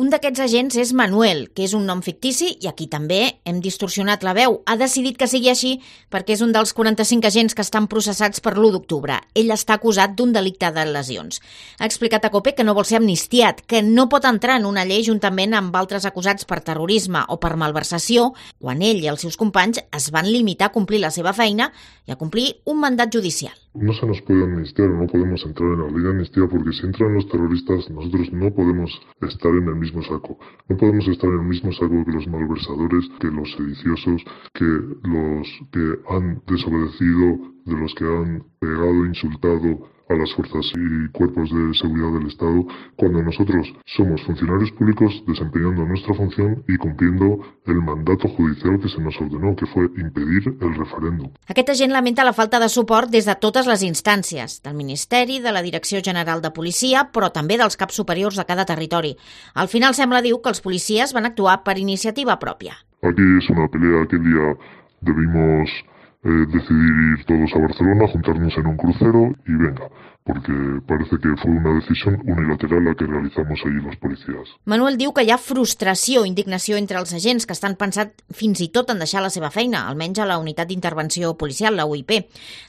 Un d'aquests agents és Manuel, que és un nom fictici i aquí també hem distorsionat la veu. Ha decidit que sigui així perquè és un dels 45 agents que estan processats per l'1 d'octubre. Ell està acusat d'un delicte de lesions. Ha explicat a COPE que no vol ser amnistiat, que no pot entrar en una llei juntament amb altres acusats per terrorisme o per malversació, quan ell i els seus companys es van limitar a complir la seva feina i a complir un mandat judicial. No se nos puede amnistiar, no podemos entrar en la ley de amnistía porque si entran los terroristas nosotros no podemos estar en el mismo saco. No podemos estar en el mismo saco que los malversadores, que los sediciosos, que los que han desobedecido, de los que han pegado, insultado a las fuerzas y cuerpos de seguridad del Estado, cuando nosotros somos funcionarios públicos desempeñando nuestra función y cumpliendo el mandato judicial que se nos ordenó, que fue impedir el referéndum. Aquest agent lamenta la falta de suport des de totes les instàncies, del Ministeri, de la Direcció General de Policia, però també dels caps superiors de cada territori. Al final sembla, diu, que els policies van actuar per iniciativa pròpia. Aquí es una pelea. Aquel día debimos decidir ir todos a Barcelona, juntarnos en un crucero y venga, porque parece que fue una decisión unilateral la que realizamos allí los policías. Manuel diu que hi ha frustració, indignació entre els agents que estan pensat fins i tot en deixar la seva feina, almenys a la Unitat d'Intervenció Policial, la UIP.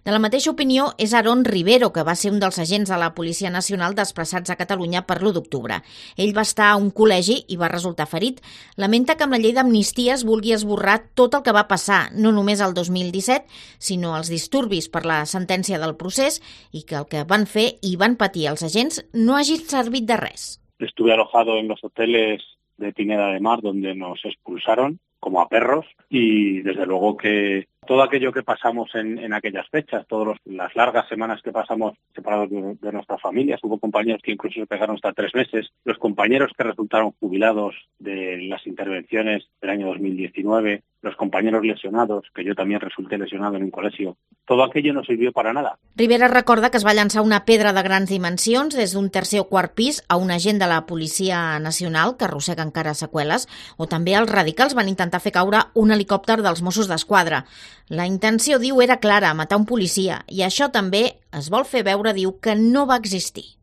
De la mateixa opinió és Aaron Rivero, que va ser un dels agents de la Policia Nacional desplaçats a Catalunya per l'1 d'octubre. Ell va estar a un col·legi i va resultar ferit. Lamenta que amb la llei d'amnistia es vulgui esborrar tot el que va passar, no només el 2017, sinó els disturbis per la sentència del procés i que el que van fer i van patir els agents no hagi servit de res. Estuve alojado en los hoteles de Pineda de Mar, donde nos expulsaron como a perros, y desde luego que todo aquello que pasamos en aquellas fechas, todas las largas semanas que pasamos separados de nuestras familias, hubo compañeros que incluso se pegaron hasta 3 meses, los compañeros que resultaron jubilados de las intervenciones del año 2019, los compañeros lesionados, que yo también resulté lesionado en un colegio, todo aquello no sirvió para nada. Rivera recorda que es va llançar una pedra de grans dimensions des d'un tercer o quart pis a un agent de la Policia Nacional que arrossega encara seqüeles, o també els radicals van intentar fer caure un helicòpter dels Mossos d'Esquadra. La intenció, diu, era clara, matar un policia, i això també es vol fer veure, diu, que no va existir.